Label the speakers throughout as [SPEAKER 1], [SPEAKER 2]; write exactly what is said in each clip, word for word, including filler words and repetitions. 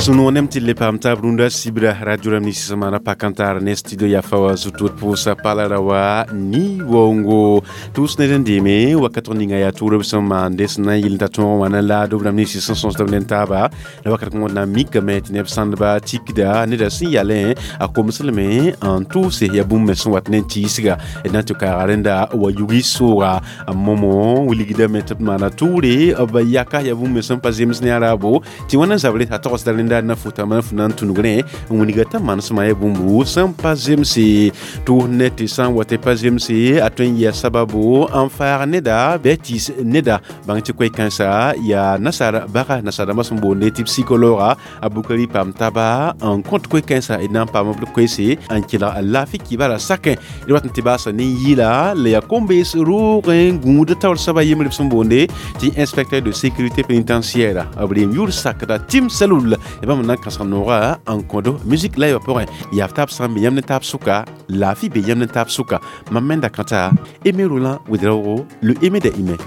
[SPEAKER 1] Sũ-noog tɩ le paam taab rũndã sibra radio rãmb nins sẽn maana pa-kãntaar ne studio yafa wa zu-tʋʋd pʋʋsa pala ra wa ni-waoongo tʋʋs ned n deeme wakat ninga yaa tʋʋrb sẽn maande sẽn na n yɩl n ta tõog wã na laado b rãmb nins sẽn sõsd b ne taaba la wakat kõn na n mikame tɩ neb sãndba tikda neda sẽn yalẽ a komslme n tʋʋse yaa bũmb me sẽn wat ne n tiisga d na n tɩ kaaga rẽnda wa yugi sooga momo wilgdame tɩ b maana tʋʋre b yaka yaa bũmb me sẽn pa zems ne a raabo tɩ wãna n zabre a togsda rẽnda na futa man fu na n tũnugrẽ n wilga t'a manesmã ya bũmbu sẽn pa zemse tʋʋs ne tɩ sã n wa tɩ pa zemse a tõe n yɩa sababo n faag neda bɩ a tiis neda bãng tɩ koe-kãensa yaa nasaar baga nasaar-dãmbã sẽn boonde tɩ psikolooga a Bukari paam taba n kõt koe-kãensã d na n paam b koeese n kelg laafɩ kibara sakẽ d wat n tɩ baasa ne yɩla la yaa kom-bees roogẽ gũud taoor soaba yembre b sẽn boonde tɩ inspecteur de sécurité pénitentiaire b reem yʋʋr sakda Tim Salul bãmb na n kãsg nooga n kõdo musique la yã pʋgẽ yaa taab sã n be yãmb ne taab sʋka laafɩ be yãmb ne taab sʋka mam menda kãta Aimé Roland Ouédraogo le Aimé des humains.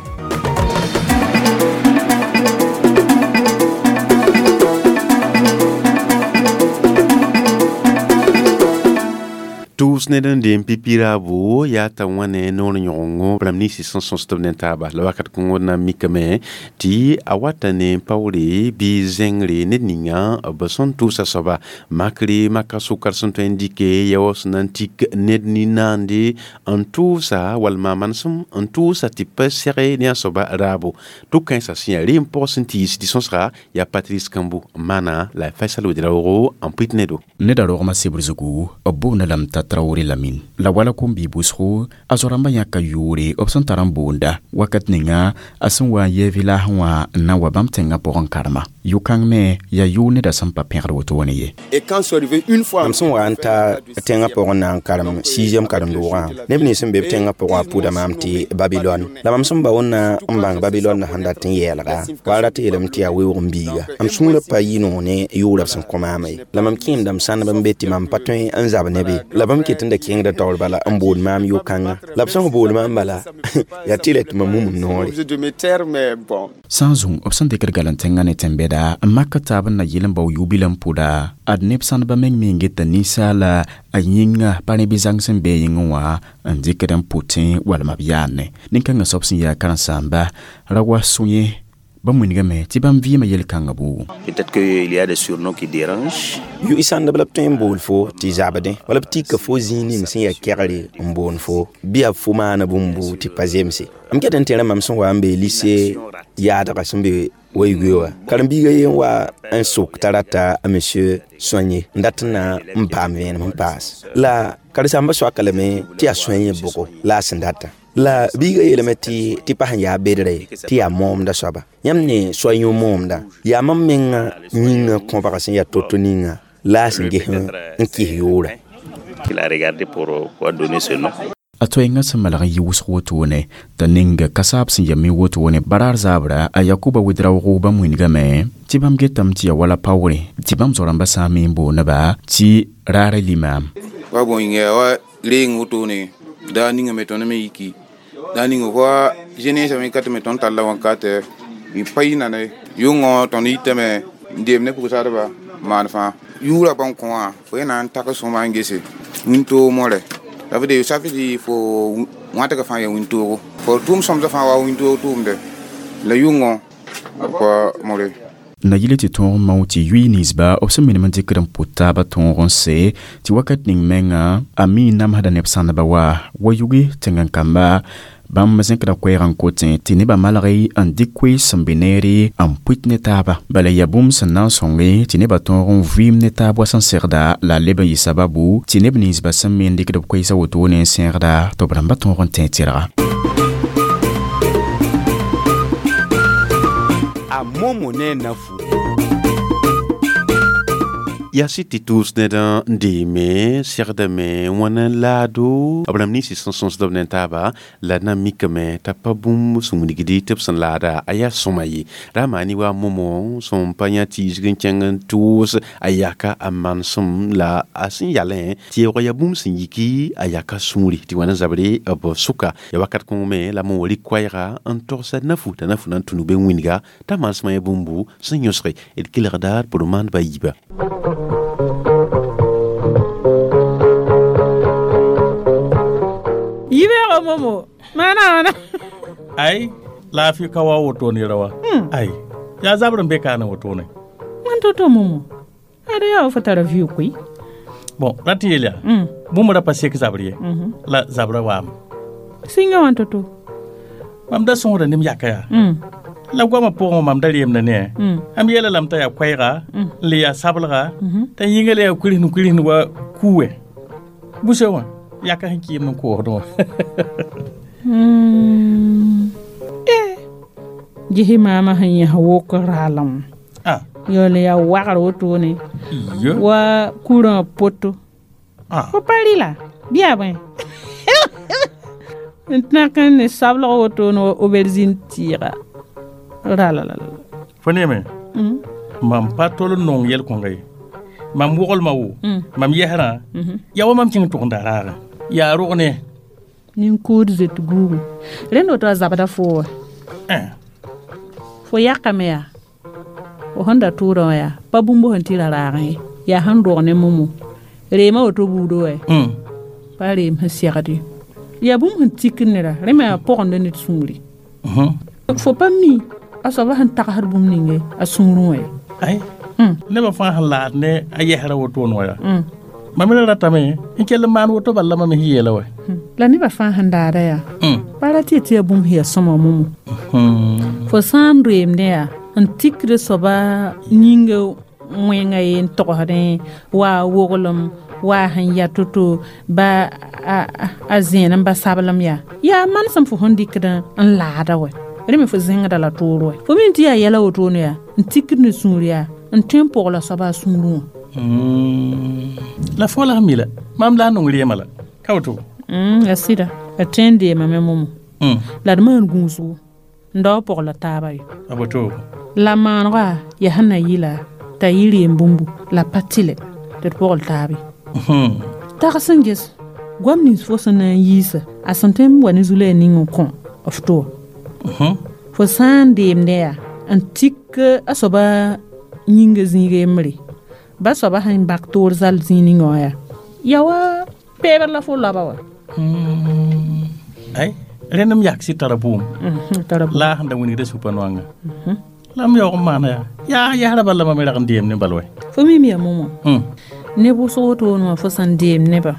[SPEAKER 1] Tʋʋs ned n deem pipi-raabo yaa t'a wãne noor yõgengo rãmb ninsi sẽn sõsd b ne taaba la wakat kõngd na n mikame tɩ a wata ne paoore bɩ zẽngre ned ninga b sẽn tʋʋsa soaba makre maka sʋkar sẽn tõe n dɩke ya wa sẽn na n tik ned nin-naande n tʋʋsa walma manesem n tʋʋsa tɩ pa sɛge ne a soaba raabo tʋ-kãensã sẽn yaa reem pʋg sẽn tiis tɩ sõsga yaa Patrice Kambu n maana la Faisal Ouédraogo n pʋɩt nedo
[SPEAKER 2] neda rogmã sebr zugu b boonda lame t'a Traoré Lamine la wala kom-bi bʋsgo a zo-rãmbã yãka yʋʋre b sẽn tar n boonda wakat ninga a sẽn wa n yɛɛ vɩlaasẽ wã n na n wa bãmb tẽngã pʋgẽ karema yʋ-kãng me yaa yʋʋr neda sẽn pa pẽgd wotone ye.
[SPEAKER 3] Mam sẽn wa n ta tẽngã pʋgẽ na n karem sixième karen-doogã neb nins sẽn be b tẽngã pʋgã pʋda maam tɩ Babilɔn la mam sẽn ba wẽnna n bãng Babilɔn sẽn dat n yɛɛlga wa a rat yeelame tɩ yaa weoog n biiga m sũurã pa yɩ noog ne yʋʋra b sẽn kõ maama ye la mam kẽemdame sãndb n be tɩ mam pa tõe n zab ne be la bãmb ket n da kẽngda taoor bala n bool maam yʋ-kãnga la b sẽn bool maam bala yaa tɩ la tɩ mam mum m noore.
[SPEAKER 2] Sã n zũng b sẽn dɩkd gal n tẽngã ne tẽn-bɛda n mak taab n na yɩl n bao yʋ-bil n pʋda ad neb sãndbã meng me n geta ninsaala a yĩnga pa rẽ bɩ zãng sẽn be a yĩngẽ wã n dɩkd n pʋtẽ walma b yaane nin-kãngã soab sẽn yaa karen-saamba ra wa sũ-yẽ bãmb wilgame tɩ bãmb vɩɩmã yel-kãngã buugu.
[SPEAKER 4] Peut-être qu'il y a des surnoms qui dérangent.
[SPEAKER 3] Yʋ sãndb la b tõe n bool fo tɩ zabdẽ wala b tika fo zĩig ning sẽn yaa kɛgre n boon fo bɩ yaa fo maana bũmbu tɩ pa zemse m ket n tẽra mam sẽn wa n be lycée yaadga sẽn be wa-yugoe wã karen-biigã yen wa n sok t'a rata a monsieur Soigné n dat n na n paam vẽenem n paas la karen-sãmbã soaka lame tɩ yaa Soigné bʋgo la a sẽn data la biigã yeelame tɩ tɩ pa sẽn yaa bedre tɩ yaa moomda soaba yãmb ne soa-yõ moomda yaa mam menga yĩngã kõbga sẽn yaa to-to ninga la a sẽn ges n kɩs yʋʋra.
[SPEAKER 4] Il a regardé pour pouvoir donner ce nom.
[SPEAKER 2] A toɛɛngã sẽn malg n yɩ wʋsg wotone t'a ning kasaab sẽn ya mi wotone baraar zaabra a Yakuba Ouédraogo bãmb wilgame tɩ bãmb getame tɩ yaa wala paoore tɩ bãmb zo-rãmbã sã n me n booneba tɩ raara limaam.
[SPEAKER 5] Wa bõe yĩnga wa reeng wotone daa ninga me tõnd me yiki daa ninga wa jeunesse me ka tɩ me tõnd talla wãnkatɛ y pa yɩ nane yʋngõ tõnd yitame n deem ne pʋgsadba maan fãa yʋʋra bãmb kõ wã fo yẽ na n tak sõma n gese wĩntoog mõre ça veut dire ça veut dire fo wãtga fãa yaa wĩntoogo fo tʋʋm sõmsã fãa wa wĩntoog tʋʋmde la yʋngõ pa mõre.
[SPEAKER 2] Na yɩl tɩ tõog n mao tɩ yʋɩ ninsba b sẽn minim n dɩkd n pʋt taabã tõog n se tɩ wakat ning menga a mi n namsda neb sãndba wa wa yugi tẽng-kamba bãmb zẽkda koɛɛg n kotẽ tɩ nebã malg n dɩk koees sẽn be neere n pʋɩt ne taaba bala yaa bũmb sẽn na n sõnge tɩ nebã tõog n vɩɩm ne taab wa sẽn segda la a leb n yɩ sababu tɩ neb ninsbã sẽn me n dɩkd b koeesã wotone n sẽegda tɩ b rãmbã tõog n tẽ tɩrga.
[SPEAKER 6] A momo ne nafu.
[SPEAKER 1] Yaa sɩd tɩ tʋʋs ned n deeme segdame wãna laado b rãmb ninsã sẽn sõsd b ne taaba la d na n mikame t'a pa bũmb sẽn wilgdi tɩ b sẽn laada a yaa sõma ye ra maani wa momo sẽn pa yã tiisg n kẽng n tʋʋs a yaka a manesem la a sẽn yalẽ tɩ yaoog yaa bũmb sẽn yiki a yaka sũuri tɩ wãna zabre b sʋka ya wakat kõng me la mo wa rɩk koɛɛga n togsa nafu t'a nafu na n tũnug be wĩnga t'a manesmã ya bũmbu sẽn yõsge d kelgda d pʋr maandbã yiiba.
[SPEAKER 6] Yibeego momo mana wana
[SPEAKER 7] ai lafi ka wa woto ne rawa ai ya zabrin be kana woto ne
[SPEAKER 6] wan toto momo ada ya fa tara viu kui
[SPEAKER 7] bon rati yelia
[SPEAKER 6] mm.
[SPEAKER 7] bũmb ra pa sek zabr ye
[SPEAKER 6] mm -hmm.
[SPEAKER 7] la zabra waam
[SPEAKER 6] singa wan toto
[SPEAKER 7] mam da sõsda nem yaka yaa
[SPEAKER 6] mm.
[SPEAKER 7] la goamã pʋgẽ mam da reemda ne
[SPEAKER 6] mm.
[SPEAKER 7] am yeela lame t'a yaa koɛɛga
[SPEAKER 6] Mm.
[SPEAKER 7] n le yaa sablga
[SPEAKER 6] mm -hmm.
[SPEAKER 7] t'a yĩnga le yaa kurisn kurisn wa kuuwɛ busa wã yaka sẽn kɩɩm n koosdẽ wã
[SPEAKER 6] mm. eh. Gisi maama sẽn yẽs wok raalem
[SPEAKER 7] ah
[SPEAKER 6] yoole yaa wagr wotone
[SPEAKER 7] iyo
[SPEAKER 6] wa kurã poto
[SPEAKER 7] ah
[SPEAKER 6] fo pa rɩla bɩ yaa bõe n tãk n ne sablg wotone wa aubergine tɩɩga ralalala
[SPEAKER 7] fo neeme
[SPEAKER 6] mm.
[SPEAKER 7] mam pa tol n nong yɛl-kõnga ye mam woglmã wo
[SPEAKER 6] Mm.
[SPEAKER 7] mam yɛsrã
[SPEAKER 6] Mm -hmm.
[SPEAKER 7] yaa wa mam kẽng tʋgenda raagã yaa rog ne
[SPEAKER 6] Nin-kʋʋd zoet guugu rẽnd woto a zabda foo wa
[SPEAKER 7] Eh,
[SPEAKER 6] fo yakame yaa fo sẽn da tʋʋdã wã yaa pa bũmb sẽn tɩ ra raagẽ ye yaa sẽn rog ne momo reema woto buudo wɛ
[SPEAKER 7] mm.
[SPEAKER 6] pa reem sẽn segd ye yaa bũmb sẽn tikd neda rẽ me yaa pʋgenda ned sũuri
[SPEAKER 7] Mhm.
[SPEAKER 6] fo pa mi a soaba sẽn tagsd bũmb ninge a sũurẽ wã ye
[SPEAKER 7] ai
[SPEAKER 6] Mm.
[SPEAKER 7] nebã fãa sẽn laad ne a yɛsrã wotone wã yaa
[SPEAKER 6] Mm.
[SPEAKER 7] mam ra ratame n kell n maan woto bala la mam sẽn yeela wɛ
[SPEAKER 6] La nebã fãa sẽn daada yaa
[SPEAKER 7] Mm.
[SPEAKER 6] pa ra tɩ tɩ yaa bũmb sẽn yaa sõma momo
[SPEAKER 7] Hmm.
[SPEAKER 6] fo sã n reemdẽ yaa n tikd soaba yĩnga wẽnga ye n togsdẽ wa a woglem wa a sẽn ya to-to ba a, a, a zẽen n ba sablem yaa yaa manesem fo sẽn dɩkd n laada wɛ rẽ me fo zẽngda la toor wɛ fo mi tɩ yaa yɛla wotone yaa n tikd ne sũur yaa n tõe n pʋgla soaba a sũurẽ wã
[SPEAKER 7] Mm. la fo la sẽn mi la mam la n nong reema la ka woto
[SPEAKER 6] Mm, a sɩda a tõe n deemame momo
[SPEAKER 7] Mm.
[SPEAKER 6] la d maan gũusgo n dao pʋgla taaba yo
[SPEAKER 7] a woto
[SPEAKER 6] la maanega yaa sẽn na yɩla t'a yɩ reem bũmbu la pa tɩlɛ tɩ d pʋgl taabe
[SPEAKER 7] Mhm.
[SPEAKER 6] tags n ges goam nins fo sẽn na n yiisa a sẽn tõe n wa ne zu-loɛɛ ning n kõ f to wã
[SPEAKER 7] Mhm.
[SPEAKER 6] fo sã n deemdẽ yaa n tik a soaba yĩnga zĩiga yembre ba soaba sẽn bak toor zal zĩig ninga wã yaa yaa wa peebr la fo laba wa
[SPEAKER 7] Mm. ai rẽnd m yak sɩ tara bʋʋm
[SPEAKER 6] Mhm, tara
[SPEAKER 7] la a sẽn da wingda supã noanga la m yaoog n maana yaa yaa yɛsrã bala mam rag n deem ne bal wɛ
[SPEAKER 6] fo mim yaa momo
[SPEAKER 7] Mm.
[SPEAKER 6] ne wʋsg wotone wã fo sẽn deem nebã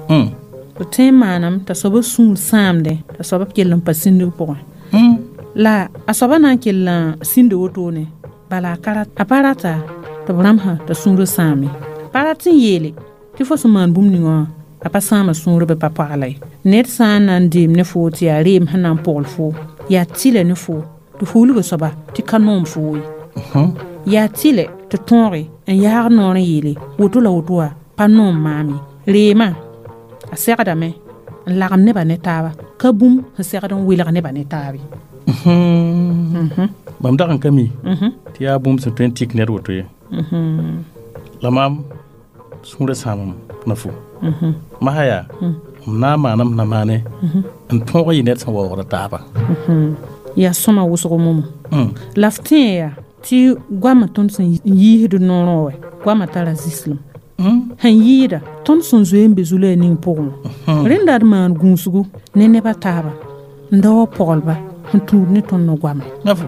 [SPEAKER 7] Mm.
[SPEAKER 6] fo tõe n maanam t'a soaba sũur sãamdẽ t'a soaba kell n pa sĩndg pʋgẽ
[SPEAKER 7] Mm.
[SPEAKER 6] la a soaba na n kell n sĩnda wotone bala a ka rat- a pa rata tɩ b rãmsã t'a sũurã sãame pa rat n yeele tɩ fo sẽn maan bũmb ninga wã a pa sãama sũurã bɩ pa pagla ye ned sã n na n deem ne foo tɩ yaa reem sẽn na n pʋgl foo yaa tɩlɛ ne foo tɩ fo wilga soaba tɩ ka noom foo ye
[SPEAKER 7] Mhm.
[SPEAKER 6] yaa tɩlɛ tɩ tõoge n yaag noor n yeele woto la woto wã pa noom maam ye reemã a segdame n lagem nebã ne taaba ka bũmb sẽn segd n welg nebã ne taab ye
[SPEAKER 7] Mhm. mam dag n ka mi
[SPEAKER 6] Mhm.
[SPEAKER 7] tɩ yaa bũmb sẽn tõe n tik ned woto ye la maam sũurã sãamem na fo masã yaa m na n maanam na maane n tõog yɩ ned sẽn waoogda taaba
[SPEAKER 6] yaa sõma wʋsgo momo
[SPEAKER 7] Mm.
[SPEAKER 6] la f tẽe yaa tɩ goamã tõnd sẽn yiisd noorẽ wɛ goamã tara zĩslem
[SPEAKER 7] Mm.
[SPEAKER 6] sẽn yɩɩda tõnd sẽn zoe n be zu-loɛɛ ning pʋgẽ wã rẽnda d maan gũusgu ne nebã taaba n da wa pɔglba sẽn tũud ne tõnd ne goamã
[SPEAKER 7] na fo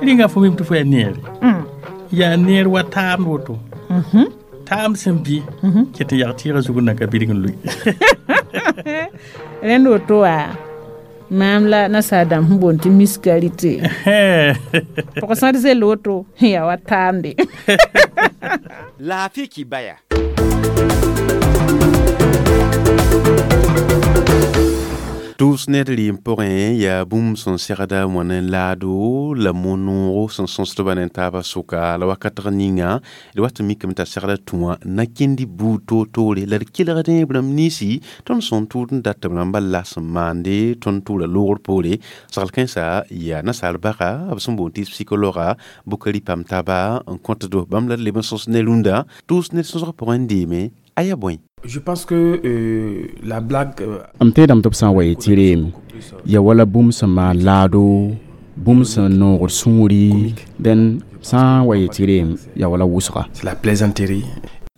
[SPEAKER 7] rĩnga fo mim tɩ fo yaa neere yaa neer wa taamd woto taamd sẽn bɩ ket n yag tɩɩgã zug n nan ka bilg n lʋi
[SPEAKER 6] rẽnd woto wa maam la nasaar dãmb sẽn boond tɩ miskarite pʋg-sãd zell woto yaa wa taamde
[SPEAKER 3] Laafɩ kibaya.
[SPEAKER 1] Tʋʋs ned rɩɩm pʋgẽ yaa bũmb sẽn segda wã ne laado la mo-noogo sẽn sõsdba ne taabã sʋka la wakatg ninga d wat n mikame t'a segda tũ wã na kẽnd buud toor-toore la d kelgdẽ b rãmb ninsi tõnd sẽn tʋʋd n dat tɩ b rãmbã la sẽn maande tõnd tʋʋra loogr poore sagl kãensa yaa nasaar baga b sẽn boond tɩ psikologa Bukari Pamtaba n kõtdo bãmb la d leb n sõs ne rũndã tʋʋs ned sõsg pʋgẽ n deeme a yaa bõe.
[SPEAKER 8] Je pense que euh, la blague
[SPEAKER 2] m tẽedame tɩ b sã n wa yetɩ reem ya wala bũmb sẽn maan laado bũmb sẽn noogd sũuri dẽn sã n wa yetɩ reem ya wala wʋsga.
[SPEAKER 8] C'est la plaisanterie.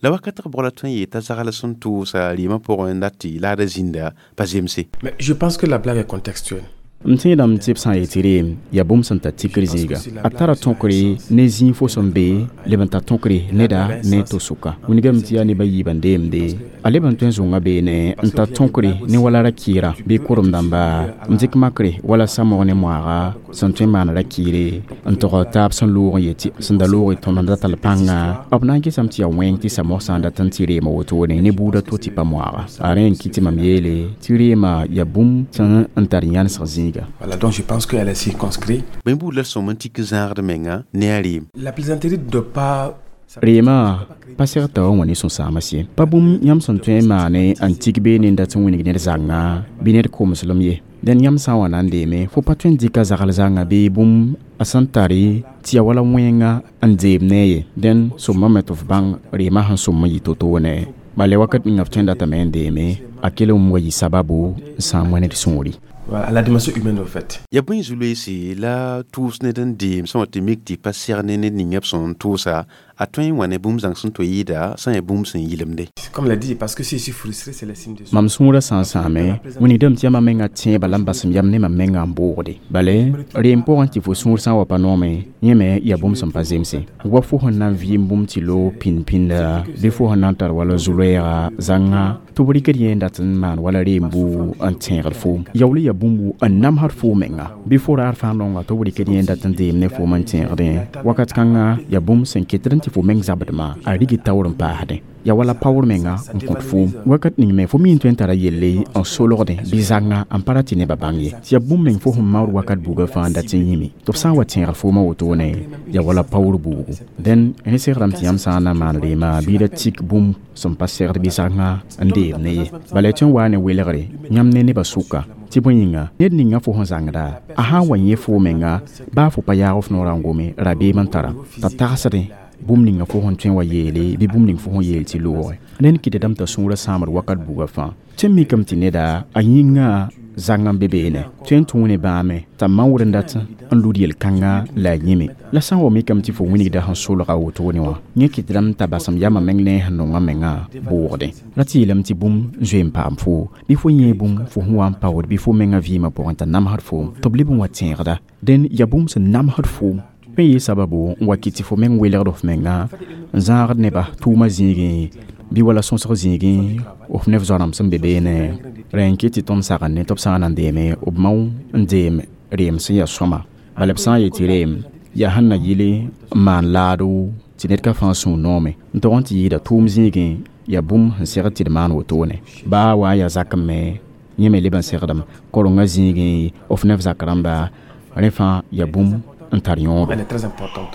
[SPEAKER 1] La wakat b bʋgla tõe n yeta zagl sẽn tʋʋsa rɩɩmã pʋgẽ n dat tɩ laada zĩnda pa zemse.
[SPEAKER 8] Mais je pense que la blague est contextuelle.
[SPEAKER 2] M tẽedame tɩ b sã n yetɩ reem yaa bũmb sẽn tar tikr zĩiga a tara tõkre ne zĩig fo sẽn be leb n tar tõkre neda ne to sʋka wilgame tɩ yaa neb a yiibã n deemde a leb n tõe n zʋnga beene n tar tõkre ne wala ra-kɩɩrã bɩ korem dãmba n dɩk makre wala samog ne moaaga sẽn tõe n maan ra-kɩɩre n tog taab sẽn loog n yetɩ sẽn da loog tõnd n da tall pãnga b na n gesame tɩ yaa wẽng tɩ samog sã n dat n tɩ reema wotone ne buudã to tɩ pa moaaga a rẽ n kɩ tɩ mam yeele tɩ reema yaa bũmb sẽn n tar yãnesg zĩiga.
[SPEAKER 8] Voilà, donc je pense qu'elle est circonscrite.
[SPEAKER 1] Bõe buud la sõm n tik zãagd menga ne a rɩɩm.
[SPEAKER 8] La plaisanterie ne doit pas
[SPEAKER 2] reema pa seg t'a wã wã ne sũ-sãama sɩ pa bũmb yãmb sẽn tõe n maane n tik beene n dat n wilg ned zãnga bɩ ned komeslem ye dẽn yãmb sã n wa na n deeme fo pa tõe n dɩka zagl zãnga bɩ bũmb a sẽn tare tɩ ya wala wẽnga n deem ne ye dẽn sõmame tɩ f bãng reema sẽn sõm n yɩ to-toone bala wakat ninga f tõe n datame n deeme a kell n wa yɩ sababu n sãam wã ned sũuri.
[SPEAKER 8] Voilà, à la dimension humaine au fait.
[SPEAKER 1] Ya bõe zu-loeese la tʋʋs ned n deem sẽn wa tɩ mik tɩ pa seg ne ned ning b sẽn tʋʋsa a tõe n wa ne bũmb zãng sẽn to yɩɩda sã n yaa bũmb sẽn yɩlemde.
[SPEAKER 8] Comme l'a dit, parce que si je suis frustré, c'est le signe de
[SPEAKER 2] mam sũurã sã n sãame wilgdame tɩ yaa mam menga tẽebã la n basem yam ne mam menga n boogde bale reem pʋgẽ tɩ fo sũur sã n wa pa noome yẽ me yaa bũmb sẽn pa zemse wa fo sẽn na n vɩɩm bũmb tɩ loog pĩnd-pĩnda bɩ fo sẽn na n tar wala zu-loɛɛga zãnga tɩ b rɩkd yẽ n dat n maan wala reem buu n tẽegd foom yaool yaa bũmbu n namsd foom menga bɩ fo raar fãa nonga tɩ b rɩkd yẽ n dat n deem ne foom n tẽegdẽ wakat kãnga yaa bũmb sẽn ketd n tɩ fo meng zabdmã a rig taoor n paasdẽ ya wala paoor menga n kõt foom wakat ning me fo mi n tõe n tara yelle n solgdẽ bɩ zãnga n pa ra tɩ nebã bãng ye tɩ yaa bũmb meng fo sẽn maood wakat buugã fãa n dat n yĩme tɩ b sã n wa tẽegr foomã wotone ya wala paoor buugu dẽn rẽ segrame tɩ yãmb sã n na n maan reema bɩ ra tik bũmb sẽn pa segd bɩ zãnga n deem ne ye bala tõe n waa ne welgre yãmb ne nebã sʋka tɩ bõe yĩnga ned ninga fo sẽn zãngda a sã n wa yẽ foo menga baa fo pa yaag f noorã n gome rabeem n tara t'a tagsdẽ bũmb ninga fo sẽn tõe n wa yeele bɩ bũmb ning fo sẽn yeel tɩ looge ned kɩtdame t'a sũurã sãamd wakat buugã fãa tõe n mikame tɩ neda a yĩngã zãng n be beene tõe n tũu ne bãame t'a maood n dat n lud yel-kãnga la a yĩme la sã n wa mikame tɩ fo wilgda sẽn solga wotone wã yẽ kɩtdame t'a basem yamã meng ne sẽn nongã mengã boogdẽ ra tɩ yeelame tɩ bũmb zoe n paam foo bɩ fo yẽ bũmb fo sẽn wa n paood bɩ fo mengã vɩɩmã pʋgẽ t'a namsd foom tɩ b leb n wa tẽegda dẽn yaa bũmb sẽn namsd foom tõe n yɩ sababu n wa kɩ tɩ fo meng welgd f menga n zãagd nebã tʋʋmã zĩigẽ bɩ wala sõsg zĩigẽ f neb zoa-rãmb sẽn be beene rẽ n kɩ tɩ tõnd sagn ne tɩ b sã n na n deeme b mao n deem reem sẽn yaa sõma bala b sã n yetɩ reem yaa sẽn na yɩle n maan laado tɩ ned ka fãa sũur noome n tog n tɩ yɩɩda tʋʋm zĩigẽ yaa bũmb sẽn segd tɩ d maan wotone baa wa n yaa zakẽ me yẽ me leb n segdem korengã zĩigẽ f neb zak rãmba rẽ fãa yaa bũmb n tar yõodo.
[SPEAKER 8] Elle est très importante.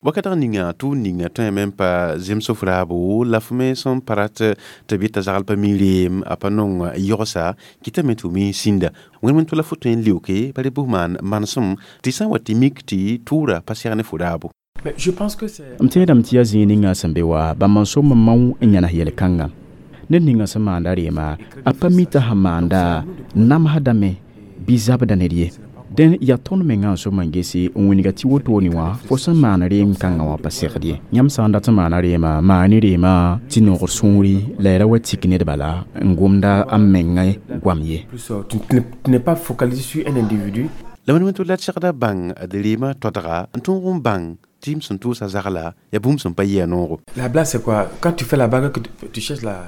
[SPEAKER 1] Wakat ninga tʋʋm ninga tõe me n pa zems f raabo la f me sẽn pa rat tɩ b yeta zagl pa mi reem a pa nong yogsa kɩtame tɩ mi sĩnda wẽnd tʋ la fo tõe n leoke pa re bʋs maan manesem tɩ sã n wa tɩ mik tɩ tʋʋra pa seg ne fo raabo.
[SPEAKER 8] Mais je pense que c'est
[SPEAKER 2] M tẽedame tɩ yaa zĩig ninga sẽn be wa bãmb n sõm n mao n yãnes yel-kãngã ned ninga sẽn maanda reema a pa mi t'a sẽn maanda namsdame bɩ zabda ned ye dẽn yaa tõnd mengã n sõm n gese n wilga tɩ wotone wã fo sẽn maan reem kãngã wã pa segd ye yãmb sã n dat n maana reema maane reema tɩ nogr sũuri la ya ra wa tik ned bala n gomda a mengã goam ye.
[SPEAKER 8] Plus euh, tu, tu n'es- tu n'es pas focalisé sur un individu.
[SPEAKER 1] La wẽnd tɩ la d segda bãng d reemã toadga n tõog n bãng tɩ m sẽn tʋʋsa zagla yaa bũmb sẽn pa yɩ a noogo.
[SPEAKER 8] La blague, c'est quoi? Quand tu fais la blague, que tu, tu cherches la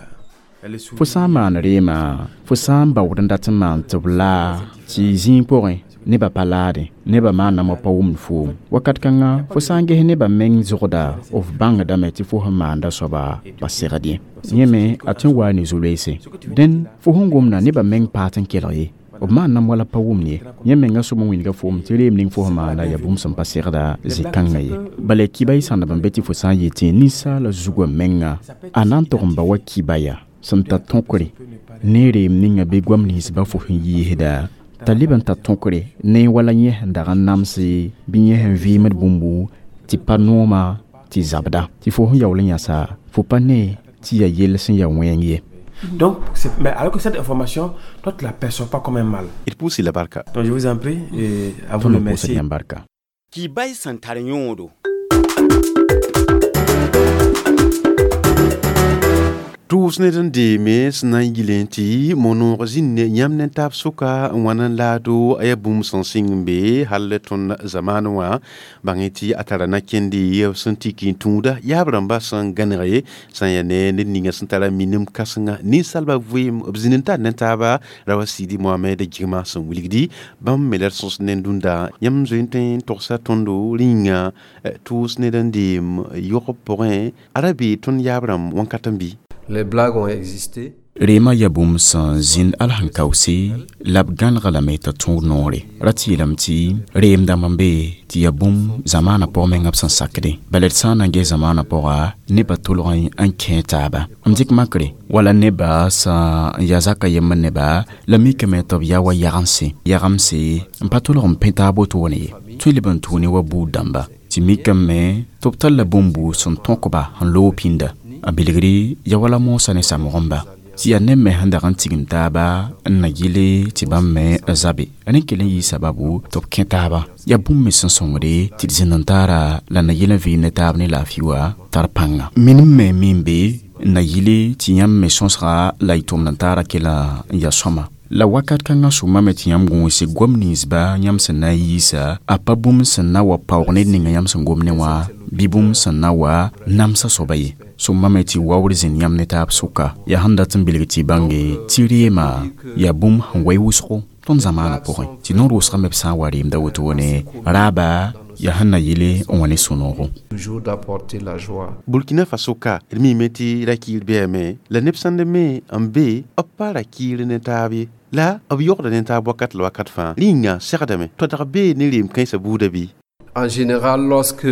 [SPEAKER 8] le
[SPEAKER 2] fo sã n maan reema fo sã n baood n dat n maan tɩ b laa tɩ zĩig pʋgẽ nebã pa laadẽ nebã maanamã pa wʋmd foom wakat kãnga fo sã n ges nebã meng zʋgda f bãngdame tɩ fo sẽn maanda soaba pa segd ye yẽ me a tõe n waa ne zu-loeese dẽn fo sẽn gomda nebã meng paat n kelg ye. B maannam wala pa wʋm ye. Yẽ menga soab n wilga foom tɩ reem ning fo sẽn maanda yaa bũmb sẽn pa segda zĩ-kãngã ye. Bala kiba y sãndb n be tɩ fo sã n yetẽ ninsaala zugã menga a na n tog n ba wa kiba yaa sẽn tar tõkre ne reem ninga bɩ goam ninsbã fo sẽn yiisda t'a leb n tar tõkre ne wala yẽ sẽn dag n namse bɩ yẽ sẽn vɩɩmd bũmbu tɩ pa nooma tɩ zabda tɩ fo sẽn yaool n yãsa fo pa ne tɩ yaa yell sẽn yaa wẽng ye.
[SPEAKER 8] Donc, mais alors que cette information, toi, tu ne la perçois pas comme un mal.
[SPEAKER 1] D pʋʋs la barka.
[SPEAKER 8] Donc, je vous en prie, et à vous le merci.
[SPEAKER 2] Barka.
[SPEAKER 3] Kibay sẽn tar yõodo.
[SPEAKER 1] Tʋʋs ned n deeme sẽn na n yɩl tɩ monoog zĩnd ne yãmb ne taab sʋka n wãn n laado a yaa bũmb sẽn sɩng n be hal tõnd zamaan wã bãng tɩ a tara na-kẽnde sẽn tik n tũuda yaab rãmba sẽn gãnege sã n yaa ne ned ninga sẽn tara minim kãsenga ninsaalbã vɩɩm b zĩnd n tar ne taaba ra wa Sidi Mohamed Gigma sẽn wilgdi bãmb me la d sõs ne dũnda yãmb zoe n tõe n togsa tõndo rĩnga tʋʋs ned n deem yog pʋgẽ a ra bee tõnd yaab rãmb wãnkat n bɩ.
[SPEAKER 9] Les blagues ont existé.
[SPEAKER 2] Reema yaa bũmb sẽn zĩnd al sẽn kaoose la b gãnega lame t'a tõog noore. Ra tɩ yeelame tɩ reem dãmb n be tɩ yaa bũmb zamaanã pʋg mengã b sẽn sakde. Bala d sã n na n ges zamaanã pʋga nebã tʋlg n kẽ taaba. M dɩk makre wala nebã sẽn n yaa zaka yembr neba la mikame tɩ b yaa wa yagense. Yagemse n pa tʋlg n pẽ taab wotone ye. Tõe leb n tʋʋne wa buud dãmba. Tɩ mikame tɩ b talla bũmbu sẽn tõkba n loog pĩnda. A bilgri ya wala moosã ne samgẽmba tɩ yaa neb me sẽn dag n tigim taaba n na yɩle tɩ bãmb me zabe. Rẽ kell n yɩ sababu tɩ b kẽ taaba. Yaa bũmb me sẽn sõngde tɩ d zĩnd n taara la na yɩl n vɩɩm ne taab ne laafɩ wã tar pãnga. Minim me min be n na yɩle tɩ yãmb me sõsga la y tʋmd n taara kela n yaa sõma. La wakat kãngã sʋma me tɩ yãmb gõose goam ninsba yãmb sẽn na n yiisa a pa bũmb sẽn na wa paoog ned ninga yãmb sẽn gom ne wã bɩ bũmb sẽn na wa namsã soaba ye. Sõma me tɩ waoor zĩnd yãmb ne taab sʋka yaa sẽn dat n bilg tɩ bãnge tɩ reema yaa bũmb sẽn wa wʋsgo tõnd zamaanã pʋgẽ tɩ noor wʋsga me b sã n wa reemda wotone raaba yaa sẽn na yɩle n wa ne sũ-noogo.
[SPEAKER 9] Toujours d'apporter la joie.
[SPEAKER 1] Burkina Faso ka d miime tɩ ra-kɩɩr bɛame la neb sãnd me n be b pa ra-kɩɩr ne taab ye la b yogda ne taab wakat la wakat fãa rĩnga segdame tɩ dag bee ne reem kãensã buudã bɩ.
[SPEAKER 9] En général, lorsque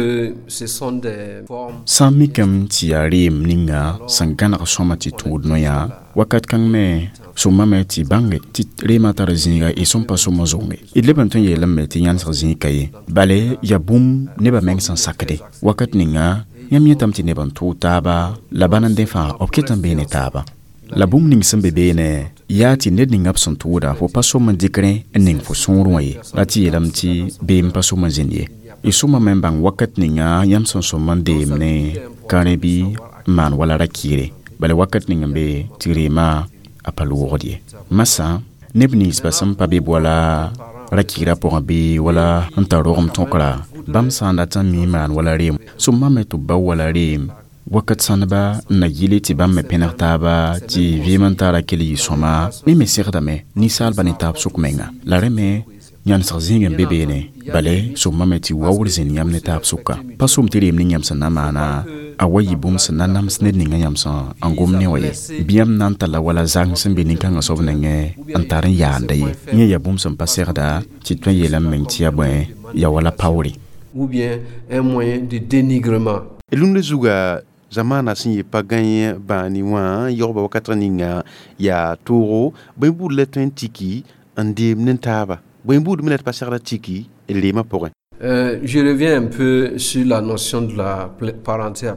[SPEAKER 9] ce sont des formes...
[SPEAKER 2] Sã n mikame tɩ yaa reem ninga sẽn gãneg sõma tɩ tũud noyã wakat kãng me sõmame tɩ bãnge tɩ reemã tar zĩiga y sẽn pa sõma zonge. D leb n tõe n yeelame tɩ yãnesg zĩig ka ye. Bale yaa bũmb nebã meng sẽn sakde. Wakat ninga yãmb yẽtame tɩ neb n tʋʋg taaba la bãn n dẽ fãa b ket n bee ne taaba. La bũmb ning sẽn be beene yaa tɩ ned ninga b sẽn tʋʋda fo pa sõm n dɩk rẽ n ning fo sõor wã ye. La tɩ yeelame tɩ beem pa sõm n zĩnd ye. Y sõma me n bãng wakat ninga yãmb sẽn sõm n deem ne ka rẽ bɩ n maan wala ra-kɩɩre. Bala wakat ning n be tɩ reema a pa loogd ye. Masã neb ninsbã sẽn pa be wala ra-kɩɩrã pʋgẽ bɩ wala n tar rogem tõkra bãmb sã n dat n mi maan wala reem sõma me tɩ b bao wala reem wakat sãndba n na yɩle tɩ bãmb me pẽneg taaba tɩ vɩɩm n taara kell yɩ sõma ne me segdame ninsaalbã ne taab sʋk menga. La rẽ me yãnesg zĩig n be beene bale sõma me tɩ waoor zĩnd yãmb ne taab sʋka. Pa sõm tɩ reem ning yãmb sẽn na maana a wa yɩ bũmb sẽn na nams ned ninga yãmb sẽn n gom ne wã ye. Bɩ yãmb na n talla wala zang sẽn be nin-kãngã soab nengẽ n tar n yaanda ye. Yẽ yaa bũmb sẽn pa segda tɩ tõe n yeelame meng tɩ yaa bõe yaa wala paoore.
[SPEAKER 9] Ou bien un moyen de dénigrement.
[SPEAKER 1] Rũndã zuga zamaana sẽn yɩ pa gãe bãani wã yogba wakat ninga yaa toogo bõe buud la tõe n tiki n deem ne taaba. Bõe buud me la tɩ pa segda tiki d reemã pʋgẽ.
[SPEAKER 9] Euh, je reviens un peu sur la notion de la parenté.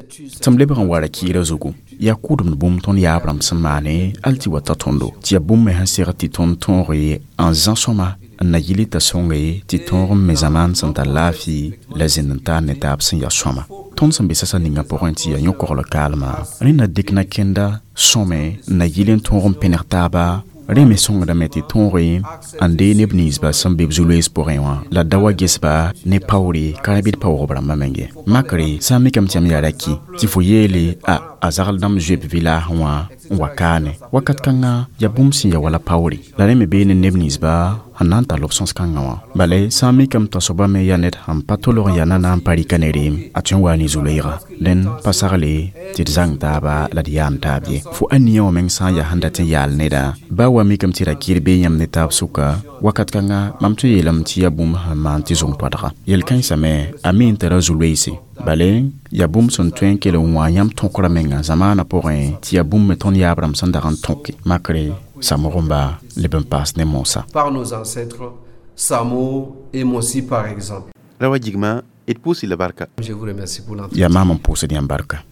[SPEAKER 2] Tɩ m lebg n wa ra-kɩɩrã zugu yaa kʋʋdemd bũmb tõnd yaab rãmb sẽn maane al tɩ wa ta tõndo tɩ yaa bũmb me sẽn seg tɩ tõnd tõoge n zã sõma n na yɩl t'a sõnge tɩ tõog n me zamaan sẽn tar laafɩ la zĩnd n taar ne taab sẽn yaa sõma. Tõnd sẽn be sasa ninga pʋgẽ tɩ yaa yõ-kogl kaalma rẽ na dɩk na-kẽnda sõme n na yɩl n tõog n pẽneg taaba rẽ me sõngdame tɩ tõoge n dee neb ninsbã sẽn be b zu-loees pʋgẽ wã la da wa gesba ne paoore ka rã bɩ d paoogb rãmbã menge. Makre sã n mikame tɩ yãmb yaa ra-kɩ tɩ fo yeele a A zagl dãmb zoe b vɩlaasẽ wã n wa kaane wakat kãngã yaa bũmb sẽn ya wala paoore la rẽ me bee ne neb ninsba sẽn na n tall b sõs-kãngã wã bala sã n mikame t'a soaba me yaa ned sẽn pa tolg n yaa na na n pa rɩka ne reem a tõe n waa ne zu-loeega dẽn pa sagle tɩ d zãng taaba la d yaam taab ye fo ania wã meng sã n yaa sẽn dat n yaal neda baa wa mikame tɩ ra kɩr bee yãmb ne taab sʋka wakat kãngã mam tõe yeelame tɩ yaa bũmb sẽn maan tɩ zong toadga yel-kãensã me a mi n tara zu-loeese bale yaa bũmb sẽn tõe n kell n wã yãmb tõkrã menga zamaanã pʋgẽ tɩ yaa bũmb me tõnd yaab rãmb sẽn dag n tõke makre Samoromba leb n paas ne moosã.
[SPEAKER 9] Par nos ancêtres, Samo et Mossi par exemple.
[SPEAKER 1] Rawa jigma d pʋʋs-y la barka.
[SPEAKER 9] Je vous remercie pour l'entretien.
[SPEAKER 2] Yaa maam n pʋʋsd yãmb barka.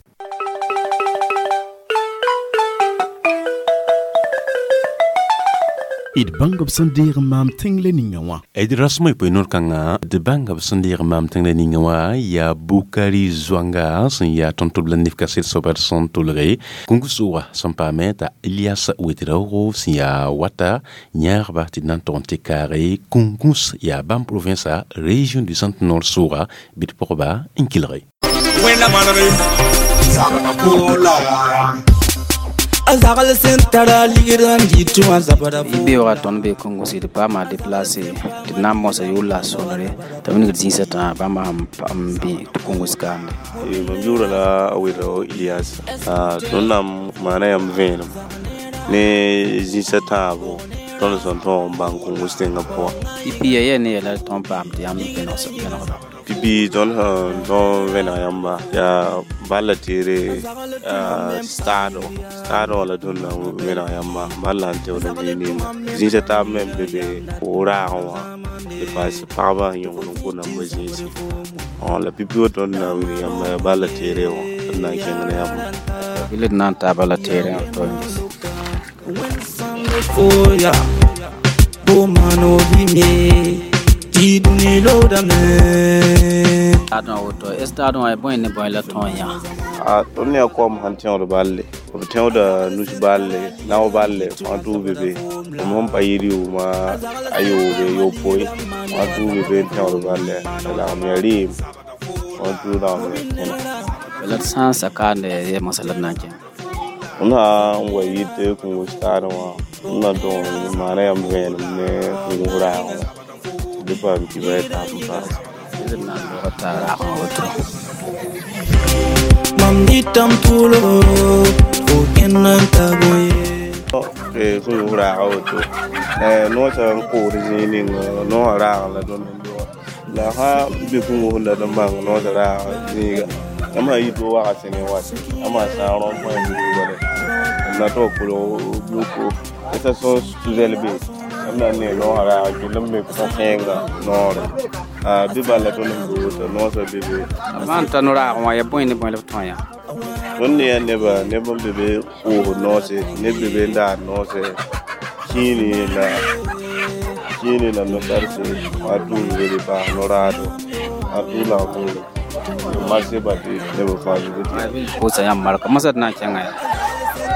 [SPEAKER 2] D bãng b sẽn deeg n maam tẽng la ninga wã.
[SPEAKER 1] D rasmã y poe noor kãngã d bãnga b sẽn deeg n maam tẽng la ninga wã yaa Bukari Zoanga sẽn yaa tõnd-tʋb la nif kaset soaba d sẽn tʋlge kũngu sʋʋga sẽn paame t'a Elias Ouedraogo sẽn yaa wata yãagba tɩ d na n tog n tɩ kaage kũnguns yaa bãmb provinsa région du centre nord sʋʋga bɩ d pʋgba n kelge.
[SPEAKER 10] Beoogã tõnd be Kongo sɩd paama déplacé tɩ d na n mosa yʋl la a sonre t'a wilgd zĩisã tã bãmba sẽn bẽ tɩ Kongos kaande.
[SPEAKER 11] Mam yʋʋra la a Ouedraogo Elias tõnd na n maana yãmb vẽenem ne zĩisã tãabo tõnd sẽn tõog n bãng Kongos tẽngã pʋgã.
[SPEAKER 10] Pipi ya yɛ ne yɛla tõnd paam tɩ yãmb vẽnegda.
[SPEAKER 11] Pipi tõnd sẽn tõog vẽneg yãmba yaa bala teere stado stado la tõnd na n vẽneg yãmba bala n teood n zĩig ninga zĩisã taab me n be be raagẽ wã tɩ paas pagba sẽn yõgd n kos namba zĩisi la pipi wa tõnd na n wilg yãmba yaa bala teere wã d na n kẽng ne yãmba.
[SPEAKER 10] Bɩ d na n taa bala teere wã to n Stade woto stade wã bõe ne bõe la tõog yã.
[SPEAKER 11] Tõnd ne yaa koam sẽn tẽod balle b tẽoda nus balle nao balle wã tʋʋ be be m sẽn pa yɩ rɩʋʋma a yoobe yopoe wã tʋʋ be be n tẽod balle la lagem yaa rɩɩm wã tʋʋ lagem yaa kẽna.
[SPEAKER 10] La d sã n sa kaande yɛ moasã la d na n kẽng.
[SPEAKER 11] M sã n wa yit kũngo stade wã m na tõog n maana yãmb vẽenem ne kũngo raagẽ wã tɩ paam kiba y taab n paase.
[SPEAKER 10] D na n log t'a raagẽ woto.
[SPEAKER 12] Mam dɩtame tʋʋlgo fo kẽnd n ta bõe.
[SPEAKER 11] Kũngo raagã woto noosã n kood zĩig ning noosã raagẽ la tõnd n doga la sã n be kũngo sẽn dat n bãng noosã raagã zĩiga yãmb sã n yit wa waga sẽne wat yãmb sã sã rõam põe n bala m na tog kolg yoko station tuzɛl be yãmb na n nee noosã raagã kell n me pʋgẽ noore bɩ bala tõnd sẽn be woto noosã be be.
[SPEAKER 10] Maan ta no-raagẽ wã yaa bõe ne bõe la b tõog yã.
[SPEAKER 11] Tõnd ne yaa neba neb n be be koosd noose neb be be n daad noose kĩini la kĩini la no-sarse wã tʋʋl be be paas no-raado wã tʋʋl lagm buule marse ba tɩ neb fãa be be.
[SPEAKER 10] Pʋʋsa yãmb marka moasã d na n kẽnga yaa.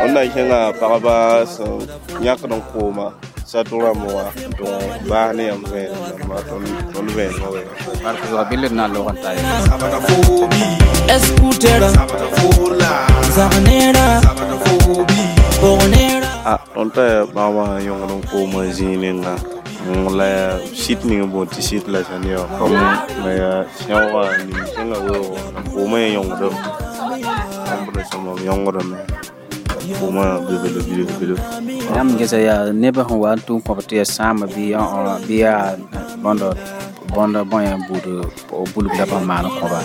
[SPEAKER 11] Tõnd na n kẽnga pagba sẽn yãkd n kooma sato rãmb wã n tõg baas ne yãmb vẽenem rãmba tõnd vẽenemã wɛ.
[SPEAKER 10] Bark zʋga bɩ d na n log n ta ye.
[SPEAKER 11] Tõnd tara bãmba sẽn yõgd n koomã zĩig ninga la yaa sit ning n boond tɩ sit la sã ne wã la yaa sẽoogã ning sẽnga weoogã la koomã yẽ yõngdame bãmb ra sõma b yõngdame koomã be be la bilf bilf.
[SPEAKER 10] Yãmb gesa yaa nebã sẽn wa n tʋm kõb tɩ yaa sãama bɩ bɩ yaa bõndo bõndo bõe buud bulg la b sẽn maan kõba.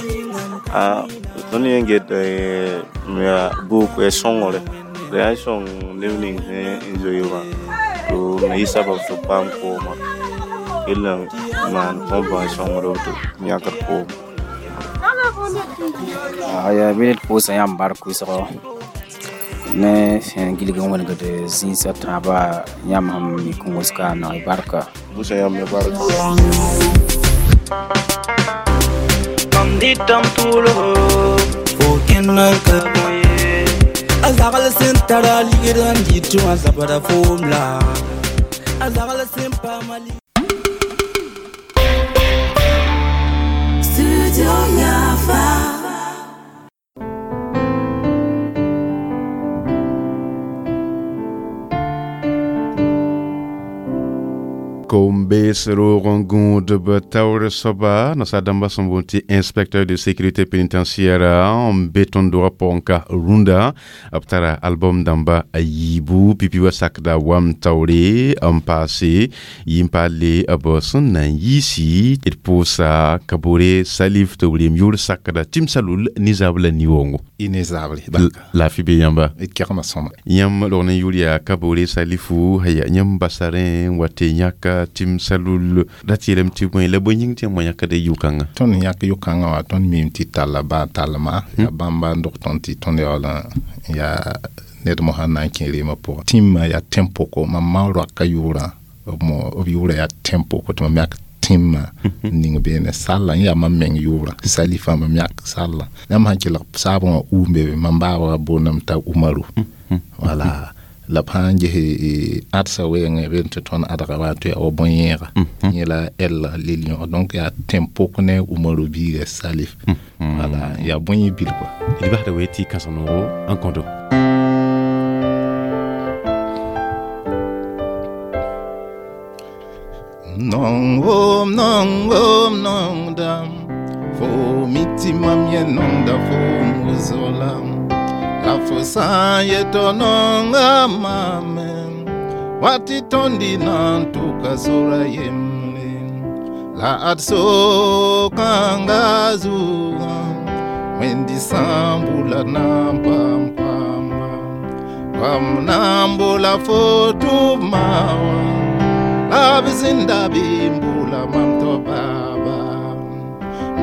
[SPEAKER 11] Tõnd yẽ get yaa buuk yaa sõngre la yaa sõng neb ning sẽn zoe wã tɩ me yɩ sabab tɩ b paam kooma kell n maan kõbã n sõngd tɩ b yãkd kooma.
[SPEAKER 10] Yaa bɩ d pʋʋsa yãmb bark wɩsgo ne sẽn gilg n wẽnegd zĩisã tãabã yãmb sẽn mi Kongos kaana y barka.
[SPEAKER 11] Pʋʋsa yãmb me barka.
[SPEAKER 12] Mam dɩtame tʋʋlgo fo kẽnd n ka bõe. A zagl sẽn tara ligd n dɩt wã zabda foom la a zagl sẽn paama
[SPEAKER 13] Studio Yafa.
[SPEAKER 1] Kombe roog n gũudb taoor soaba nasaar dãmba sẽn boond tɩ inspecteur de sécurité pénitentiaire n be tõnd dogã pʋgẽ ka rũndã b tara album dãmba a yiibu pipi wa sakda wam taoore n paase yɩ n paale b sẽn na n yiisi d pʋʋsa Kabore Salif tɩ b reem yʋʋr sakda tɩm salul nizaab la ni-woongo
[SPEAKER 13] y ne zabre
[SPEAKER 1] laafɩ be yãmba
[SPEAKER 13] d kegmã sõma
[SPEAKER 1] yãmb rog ne yʋʋr yaa Kabore Salifu aya yãmb basa rẽ n wa tɩ yãka tɩm salul ra tɩ yeelame tɩ bõe la bõe yĩng tɩ yãmb wa yãkda yʋ-kãngã
[SPEAKER 13] tõnd yãk yʋ-kãngã wã tõnd miime tɩ talla baa talma yaa bãmba n dog tõnd tɩ tõnd yaool n yaa ned mosã n na n kẽ reemã pʋgã tĩmã yaa tẽn-pʋko mam ma roaka yʋʋrã b yʋʋrã yaa tẽn-pʋko tɩ mam yak tĩmã n ning beene salla n yaa mam meng yʋʋrã salifa mam yak salla yãmb sãn kelg saabã wã uum be mam baaba boondame t'a Umaru wala la b sãn ges ãdsa wɛɛngẽ rend tɩ tõnd ãdga wa tɩ yaa wa bõe-yẽega yẽ la L lil-yõg donc yaa tẽn-pʋk ne Umaru biiga Salif wala yaa bõe bil kɔa
[SPEAKER 1] d basda we tɩ kãsem noogo n kõto
[SPEAKER 13] Nong om, nong om, nong dam. Fo miti mam ye nong da fo muzolam. La fo san ye to nong amame. Wati tondi nan tuka sora yemle. La atso kanga zuga. Wendi sambula nam pam pam. Pam nambula fo tu mawa. Abizinda bimbula mamto baba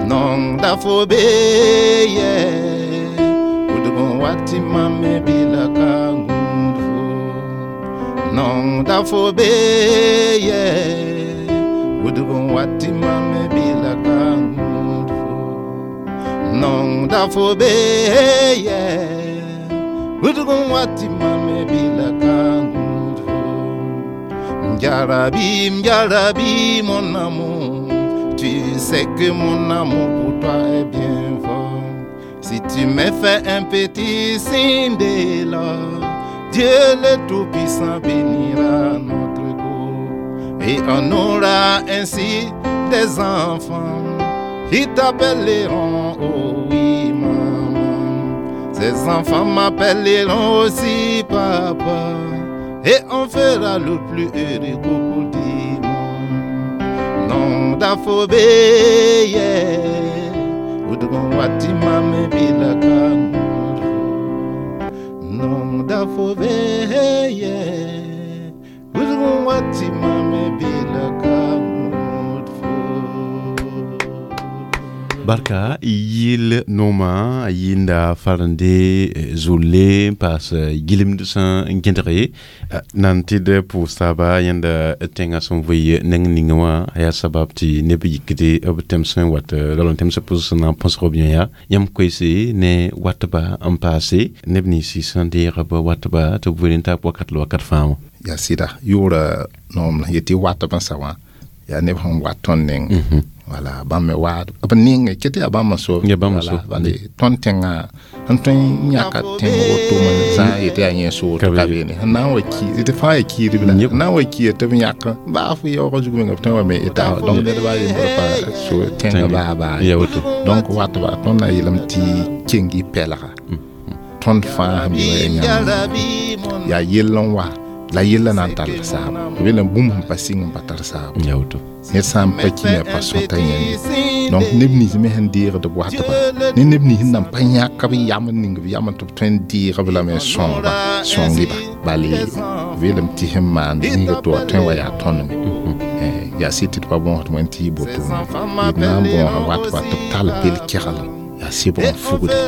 [SPEAKER 13] nong da fo be ye udugo wati mame bila kangundfo nong da fo be ye udugo wati mame bila kangundfo nong da fo be ye udugo wati mame bila kangundfo Mjarabi, Mjarabi, mon amour, tu sais que mon amour pour toi est bien fort. Si tu me fais un petit signe de là, Dieu le Tout-Puissant bénira notre cour. Et on aura ainsi des enfants qui t'appelleront, oh oui, maman. Ces enfants m'appelleront aussi papa. Et on fera le plus heureux couple du monde. Non d'afobé, Udugon wati mame bila kanguru. Non d'afobé, Udugon wati mame bila kanguru.
[SPEAKER 1] Barka yil nooma yĩnda farende zolle n paas gɩlemd sẽn gẽdge nan tɩ d pʋʋs taaba yãnda tẽngã sẽn vɩ neng ninga wã a yaa sabab tɩ neb yikde b tẽms n wat rao n tẽms pʋsg sẽn na n põsg b yã yãmb koeese ne watba n paase neb ninsi sẽn deeg b watba tɩ b weel n taab wakat la wakat fãa wã
[SPEAKER 13] yaa sɩda yʋʋra noom yetɩ watb n sa wã yaa neb sẽn wat tõnd neng wala bãmb me waad b ninge ket yaa bãmb n so bale tõnd tẽngã sẽn tõe n yãka tẽng woto me zã yetɩ yaa yẽ soor ka beene sẽn na n wa ki tɩ fãa yaa kiidb la n na n wa kiida tɩ b yãk baa fo yaoogã zug menga b tõe wa me eta donc ned baa yembr pa so tẽngã baa baa donc watba tõnd na yeelame tɩ keng y pɛlga tõnd fãa sẽn be wã yaa yãmb yaa yell n wa la yella na n tall saabo b yeelame bũmb sẽn pa sɩng n pa tar saabo ned sã n pa ki me pa sõta yẽnde donc neb nins me sẽn deegd b watba ne neb nins nan pa yãk b yam n ning b yam tɩ b tõe n deeg b lame n sõngba sõng-ba bale b yeelame tɩ sẽn maand zĩiga tɩ wa tõe wa yaa tõnd me yaa sɩd tɩ d pa bõosd wẽnd tɩ yɩ botone d na n bõosa watba tɩ b tall bel keglem yaa sebg n fugde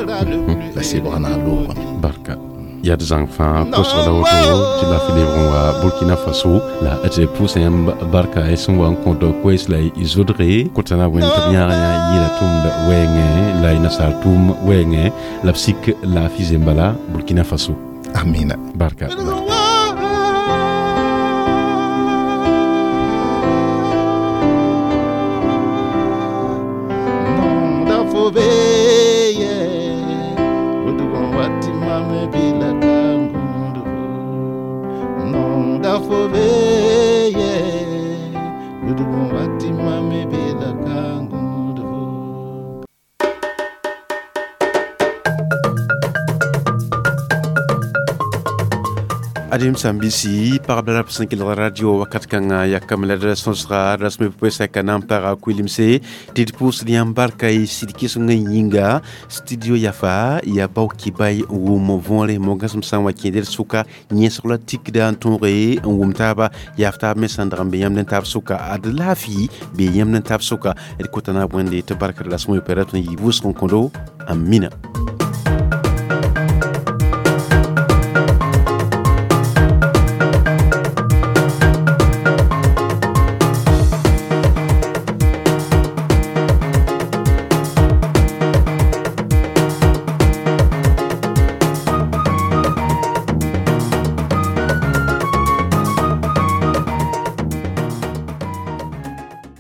[SPEAKER 13] la sebg na n loogame
[SPEAKER 1] barka yaa d zãng fãa kosg la woto tɩ la lebg n wa Burkina Faso la tɩ pʋʋsa yãmb barka y sẽn wa n kõt koees la y zodge kota na wẽnd tɩ b yãag yã yɩɩla tʋmd wɛɛngẽ la y nasaar tʋʋm wɛɛngẽ la b sik laafɩ zembala Burkina Faso
[SPEAKER 13] amina
[SPEAKER 1] barka
[SPEAKER 13] Nong da fo be
[SPEAKER 1] Adem sãn-biisi, pagb la rab sẽn kelg radio wakat kãngã, yakame la d sõsga rasme pʋɩsa ka na n paga kuilemse tɩ d pʋʋsd yãmb barka y sɩd kɩsengã yĩnga. Studio Yafa yaa bao kibay n wʋm võore mogãsem sã n wa kẽed d sʋka yẽsg la tikda n tõoge n wʋm taaba yaaf taab me sãn dag n be yãmb ne taab sʋka ad laafɩ be yãmb ne taab sʋka. D kota naab Wẽnde tɩ barkd rasem wɩ pɛrã tõe n yɩ wʋsg n kõdo. Amina.